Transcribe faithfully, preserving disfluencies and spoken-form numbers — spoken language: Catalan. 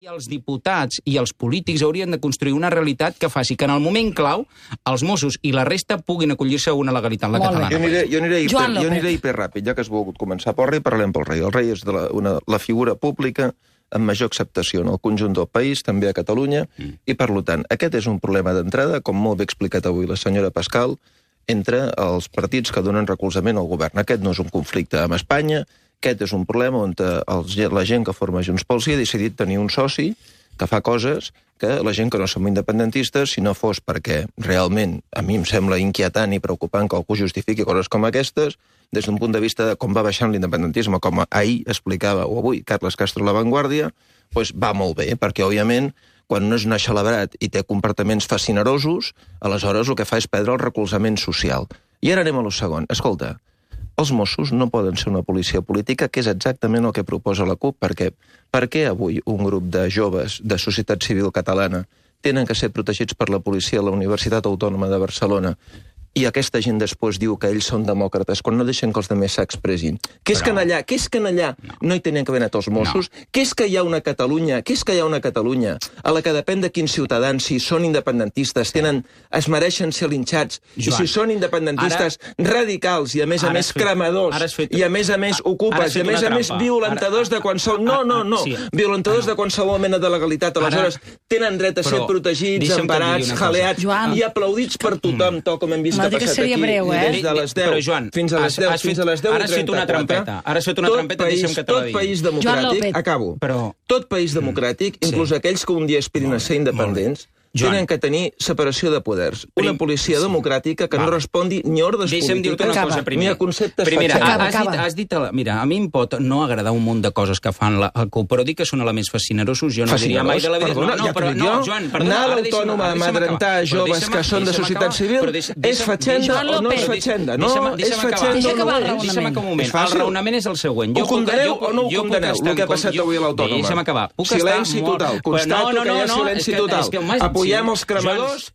I els diputats i els polítics haurien de construir una realitat que faci que en el moment clau els Mossos i la resta puguin acollir-se a una legalitat, la catalana. Jo aniré, jo aniré, hiper, jo aniré hiperràpid, ja que has volgut començar pel rei, parlem pel rei. El rei és de la, una, la figura pública amb major acceptació en el conjunt del país, també a Catalunya, mm. i per tant, aquest és un problema d'entrada, com molt bé explicat avui la senyora Pascal, entre els partits que donen recolzament al govern. Aquest no és un conflicte amb Espanya, aquest és un problema on els, la gent que forma Junts pel Sí ha decidit tenir un soci que fa coses que la gent que no som independentistes, si no fos perquè realment a mi em sembla inquietant i preocupant que algú justifiqui coses com aquestes, des d'un punt de vista de com va baixant l'independentisme, com ahir explicava, o avui, Carles Castro a La Vanguardia, doncs va molt bé, perquè, òbviament, quan no és un celebrat i té comportaments fascinerosos, aleshores el que fa és perdre el recolzament social. I ara anem a lo segon. Escolta, els Mossos no poden ser una policia política, que és exactament el que proposa la CUP, perquè per què avui un grup de joves de societat civil catalana tenen que ser protegits per la policia a la Universitat Autònoma de Barcelona i aquesta gent després diu que ells són demòcrates quan no deixen que els altres s'expressin? Què és que allà, què és que allà no, no hi tenien que haver anat els Mossos? No. Què és que hi ha una Catalunya, què és que hi ha una Catalunya a la que depèn de quins ciutadans, si són independentistes, tenen, es mereixen ser linxats, Joan, i si són independentistes ara, radicals i a més a més fet, cremadors, fet, i a més a més ocupes, i a més a més violentadors ara, de qualsevol... No, no, no, sí, violentadors no. de qualsevol mena de legalitat. Aleshores, ara, tenen dret a ser però, protegits, emparats, jaleats i aplaudits per tothom, tal com hem vist. No dic que seria breu, eh? Des de les deu però, Joan, fins a les deu, has, fins a les deu ara has fet una trampeta. Ara has fet una tot trampeta, país, deixa'm que te la digui. Tot país democràtic, acabo, però... tot país democràtic, inclús sí. aquells que un dia aspirin a ser independents, Joan. tenen que tenir separació de poders. Una policia sí. democràtica que Va. no respongui ni a ordres Deixa'm polítiques ni a conceptes Primera, fatxats. Has dit, has dit, mira, a mi em pot no agradar un munt de coses que fan la, el CUP, però dic que són elements fascinerosos, jo no diria mai de la vida... Perdona, no, no, ja però, no, Joan, perdona, anar a l'Autònoma a amedrentar joves que són de societat civil és fatxenda o no és fatxenda? No, és fatxenda o no és. Deixa'm acabar un moment. El raonament és el següent. Ho condeneu o no ho condeneu, el que ha passat avui a l'Autònoma? Deixa'm acabar. Silenci total. Constato que hi ha silenci total. Apoyem els cremadors